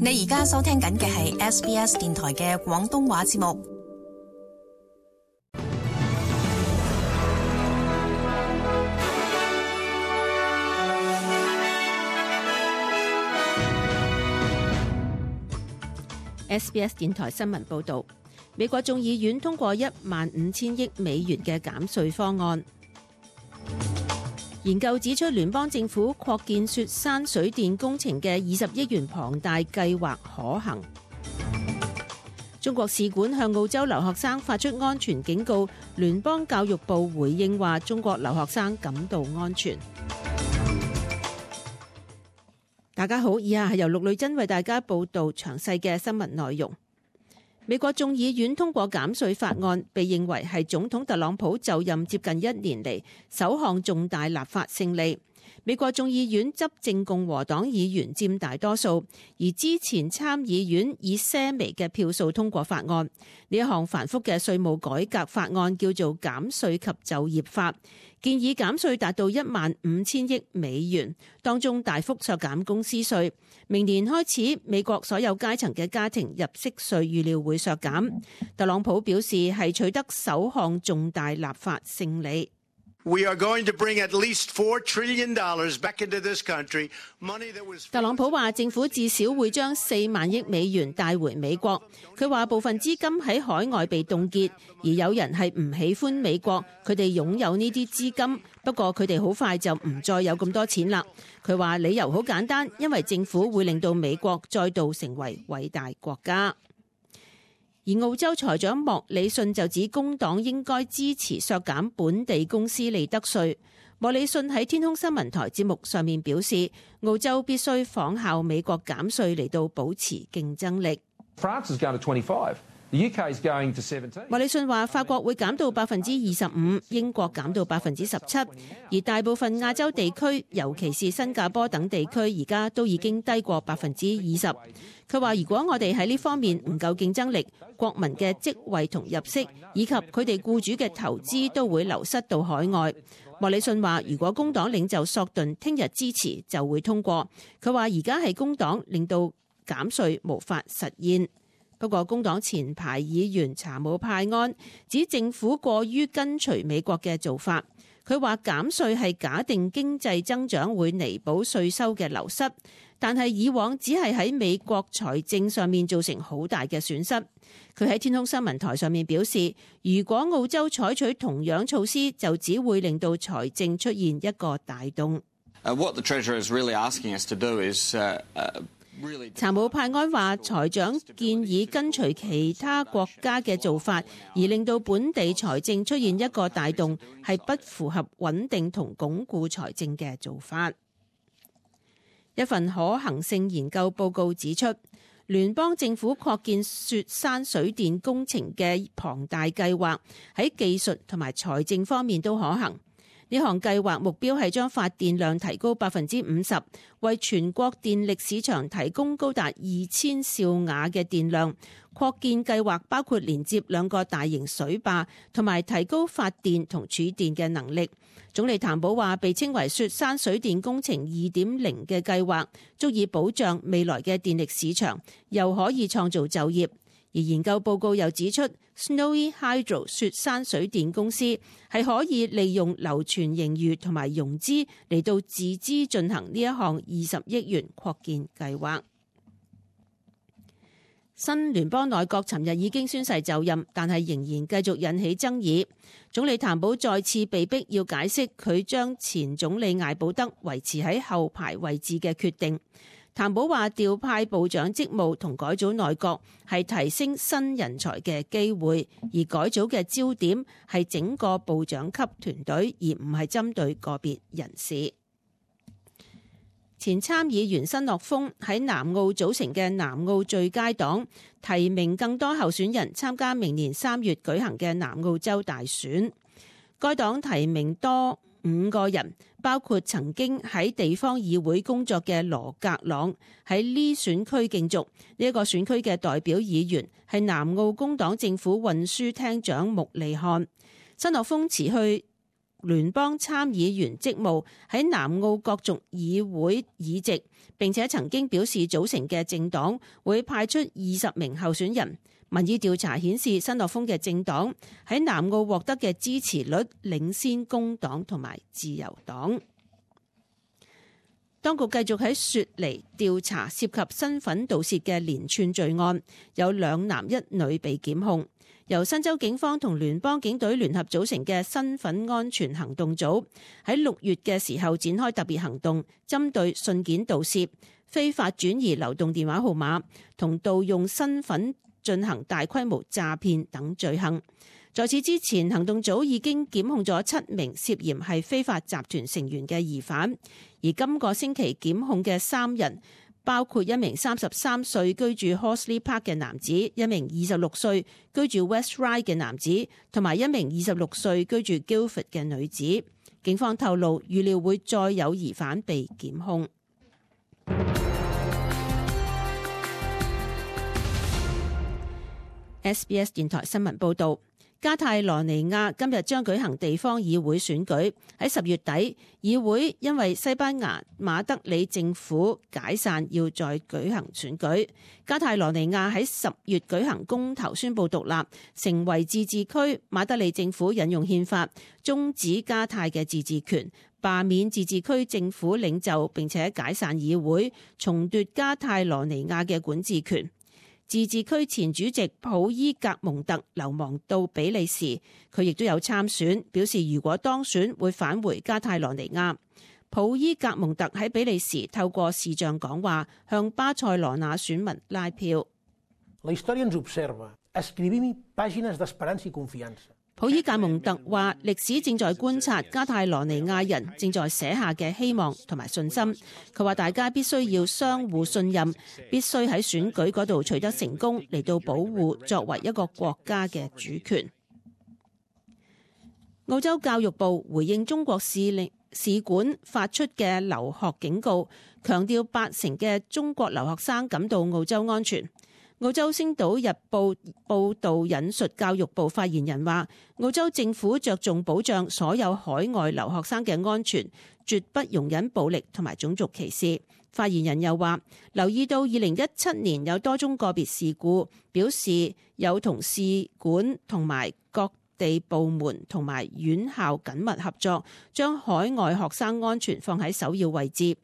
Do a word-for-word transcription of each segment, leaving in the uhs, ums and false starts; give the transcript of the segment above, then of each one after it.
你而家收聽緊嘅係 S B S 電台嘅廣東話節目。S B S 電台新聞報導，美國眾議院通過一萬五千億美元嘅減稅方案。研究指出，聯邦政府擴建雪山水電工程嘅二十億元龐大計劃可行。中國使館向澳洲留學生發出安全警告，聯邦教育部回應話，中國留學生感到安全。大家好，以下係由陸女珍為大家報道詳細嘅新聞內容。美國眾議院通過減稅法案，被認為係總統特朗普就任接近一年嚟首項重大立法勝利。美國眾議院執政共和黨議員佔大多數，而之前參議院以些微嘅票數通過法案。呢一項繁複嘅稅務改革法案叫做減稅及就業法，建議減稅達到一萬五千億美元，當中大幅削減公司稅。明年開始，美國所有階層嘅家庭入息稅預料會削減。特朗普表示係取得首項重大立法勝利。We are going to bring at least four trillion dollars back into this country. Money that was 特朗普話政府至少會將四萬億美元帶回美國。佢話部分資金喺海外被凍結，而有人係唔喜歡美國，佢哋擁有呢啲資金，不過佢哋好快就唔再有咁多錢啦。佢話理由好簡單，因為政府會令到美國再度成為偉大國家。而澳洲財長莫里遜就指工黨應該支持削減本地公司利得稅。莫里遜喺天空新聞台節目上面表示，澳洲必須仿效美國減稅嚟到保持競爭力。France is going to twenty-five. The U K is going to seventeen. 莫里遜話法國會減到百分之二十五，英國減到百分之十七，而大部分亞洲地區，尤其是新加坡等地區，而家都已經低過百分之二十。佢話如果我哋喺呢方面唔夠競爭力，國民嘅職位同入息，以及佢哋僱主嘅投資都會流失到海外。莫里遜話如果工黨領袖索頓聽日支持就會通過。佢話而家係工黨令到減稅無法實現。不過工黨前排議員查姆派安指政府過於跟隨美國嘅做法。佢話減稅係假定經濟增長會彌補稅收嘅流失，但係以往只係喺美國財政上面造成好大嘅損失。佢喺天空新聞台上面表示，如果澳洲採取同樣措施，就只會令到財政出現一個大洞。Uh, what the Treasurer is really asking us to do is, uh, uh, 查姆派安話，財長建議跟隨其他國家嘅做法，而令到本地財政出現一個大洞，係不符合穩定同鞏固財政嘅做法。一份可行性研究報告指出，聯邦政府擴建雪山水電工程嘅龐大計劃喺技術同埋財政方面都可行。呢項計劃目標係將發電量提高百分之五十，為全國電力市場提供高達二千兆瓦嘅電量。擴建計劃包括連接兩個大型水壩，同埋提高發電同儲電嘅能力。總理譚寶話，被稱為雪山水電工程二點零嘅計劃，足以保障未來嘅電力市場，又可以創造就業。而研究報告又指出， Snowy Hydro 雪山水電公司係可以利用流存盈餘同埋融資嚟到自資進行呢一項二十億元擴建計劃。新聯邦內閣尋日已經宣誓就任，但係仍然繼續引起爭議。總理譚寶再次被逼要解釋佢將前總理艾保德維持喺後排位置嘅決定。譚寶話調派部長職務同改組內閣係提升新人才嘅機會，而改組嘅焦點係整個部長級團隊，而唔係針對個別人士。前參議員申諾峰喺南澳組成嘅南澳最佳黨提名更多候選人參加明年三月舉行嘅南澳洲大選。該黨提名多五個人，包括曾經喺地方議會工作嘅羅格朗喺呢選區競逐。呢一個選區嘅代表議員係南澳工黨政府運輸廳長穆利漢。申諾峰辭去聯邦參議員職務喺南澳角逐議會議席，並且曾經表示組成嘅政黨會派出二十名候選人。民意調查顯示，新樂豐嘅政黨喺南澳獲得嘅支持率領先工黨同埋自由黨。當局繼續喺雪梨調查涉及身份盜竊嘅連串罪案，有兩男一女被檢控。由新州警方同聯邦警隊聯合組成嘅身份安全行動組喺六月嘅時候展開特別行動，針對信件盜竊、非法轉移流動電話號碼同盜用身份進行大規模詐騙等罪行。在此之前，行動組已經檢控咗七名涉嫌係非法集團成員嘅疑犯，而今個星期檢控嘅三人包括一名三十三歲居住 Horsley Park 嘅男子，一名二十六歲居住 West Ryde 嘅男子，同埋一名二十六歲居住 Guildford 嘅女子。警方透露，預料會再有疑犯被檢控。S B S 電台新聞報導。加泰羅尼亞今日將舉行地方議會選舉。喺十月底，議會因為西班牙馬德里政府解散，要再舉行選舉。加泰羅尼亞喺十月舉行公投，宣布獨立，成為自治區。馬德里政府引用憲法終止加泰嘅自治權，罷免自治區政府領袖，並且解散議會，重奪加泰羅尼亞嘅管治權。自治區前主席普伊格蒙特流亡到比利時，佢亦都有參選，表示如果當選會返回加泰羅尼亞。普伊格蒙特喺比利時透過視像講話，向巴塞羅那選民拉票。普伊格蒙特話：歷史正在觀察加泰羅尼亞人正在寫下嘅希望同埋信心。佢話大家必須要相互信任，必須喺選舉嗰度取得成功，嚟到保護作為一個國家嘅主權。澳洲教育部回應中國使領使館發出嘅留學警告，強調八成嘅中國留學生感到澳洲安全。澳洲星島日報報導引述教育部發言人話，澳洲政府着重保障所有海外留學生嘅安全，絕不容忍暴力同埋種族歧視。發言人又話，留意到二零一七年有多宗個別事故，表示有同使館同埋各地部門同埋院校緊密合作，將海外學生安全放喺首要位置。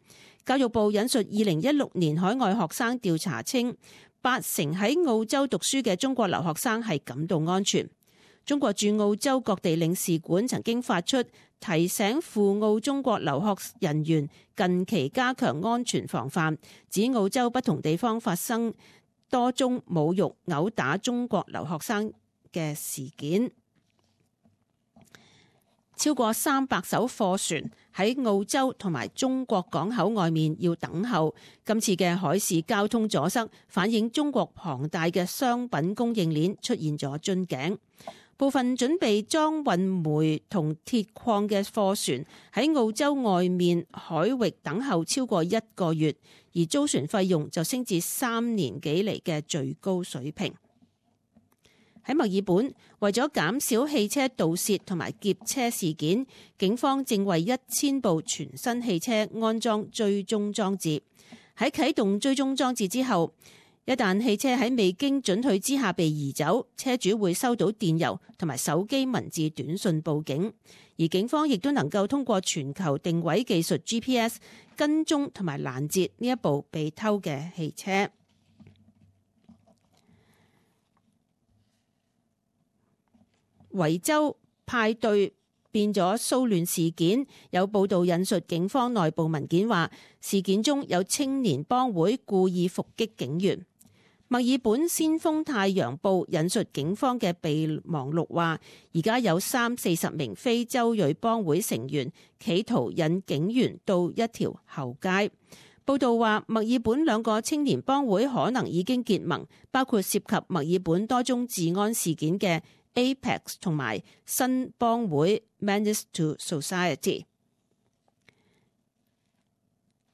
教育部引述二零一六年海外學生調查稱，八成喺澳洲讀書嘅中國留學生係感到安全。中國駐澳洲各地領事館曾經發出提醒赴澳中國留學人員近期加強安全防範，指澳洲不同地方發生多宗侮辱、毆打中國留學生嘅事件。超過三百艘貨船喺澳洲同埋中國港口外面要等候。今次嘅海事交通阻塞，反映中國龐大嘅商品供應鏈出現咗樽頸。部分準備裝運煤同鐵礦嘅貨船喺澳洲外面海域等候超過一個月，而租船費用就升至三年幾嚟嘅最高水平。喺墨爾本，為咗減少汽車盜竊同埋劫車事件，警方正為一千部全新汽車安裝追蹤裝置。喺啟動追蹤裝置之後，一旦汽車喺未經准許之下被移走，車主會收到電郵同埋手機文字短信報警。而警方亦都能夠通過全球定位技術 G P S 跟蹤同埋攔截呢一部被偷嘅汽車。維州派對變咗騷亂事件，有報道引述警方內部文件話，事件中有青年幫會故意伏擊警員。墨爾本先鋒太陽報引述警方嘅備忘錄話，而家有三四十名非洲裔幫會成員企圖引警員到一條後街。報道話，墨爾本兩個青年幫會可能已經結盟，包括涉及墨爾本多宗治安事件嘅Apex 同埋新幫會 Menace to Society。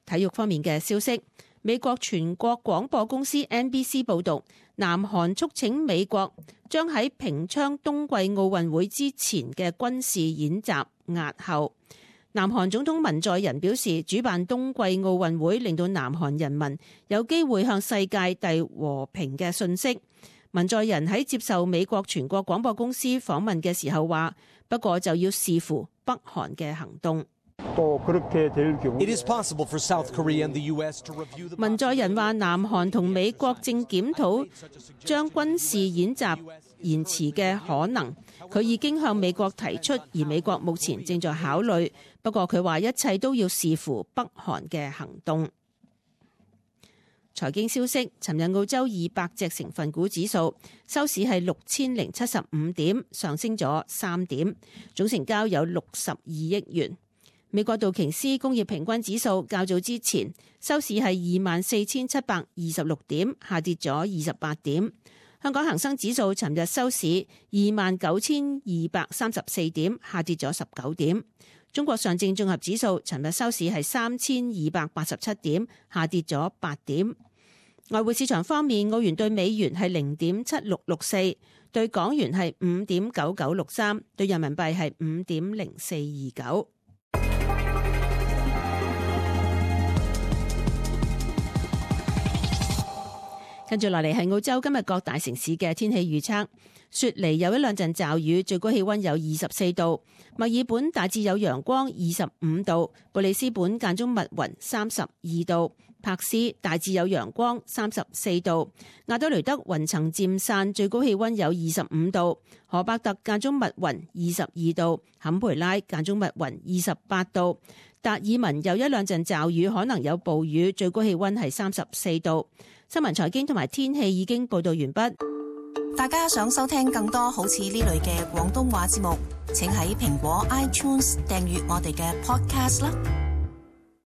體育方面嘅消息，美國全國廣播公司 N B C 報導，南韓促請美國將喺平昌冬季奧運會之前嘅軍事演習押後。南韓總統文在寅表示，主辦冬季奧運會令到南韓人民有機會向世界遞和平嘅訊息。文在寅喺接受美國全國廣播公司訪問嘅時候話，不過就要視乎北韓嘅行動。文在寅話，南韓同美國正檢討將軍事演習延遲嘅可能，佢已經向美國提出，而美國目前正在考慮。不過佢話一切都要視乎北韓嘅行動。財經消息，尋日澳洲二百隻成分股指數收市係六千零七十五點，上升咗三點，總成交有六十二億元。美國道瓊斯工業平均指數較早之前收市係二萬四千七百二十六點，下跌咗二十八點。香港恒生指數尋日收市二萬九千二百三十四點，下跌咗十九點。中國上證綜合指數尋日收市係三千二百八十七點，下跌咗八點。外匯市場方面，澳元對美元係零點七六六四，對港元係五點九九六三，對人民幣係五點零四二九。跟住落嚟係澳洲今日各大城市嘅天氣預測。雪梨有一兩陣驟雨，最高氣溫有二十四度；墨爾本大致有陽光，二十五度；布里斯本間中密雲，三十二度；柏斯大致有陽光，三十四度；亞德雷德雲層漸散，最高氣溫有二十五度；荷伯特間中密雲，二十二度；坎培拉間中密雲，二十八度；達爾文有一兩陣驟雨，可能有暴雨，最高氣溫係三十四度。新聞財經同埋天氣已經報道完畢。大家想收聽更多好似呢類嘅廣東話節目，請喺蘋果 iTunes 訂閱我哋嘅 podcast 啦。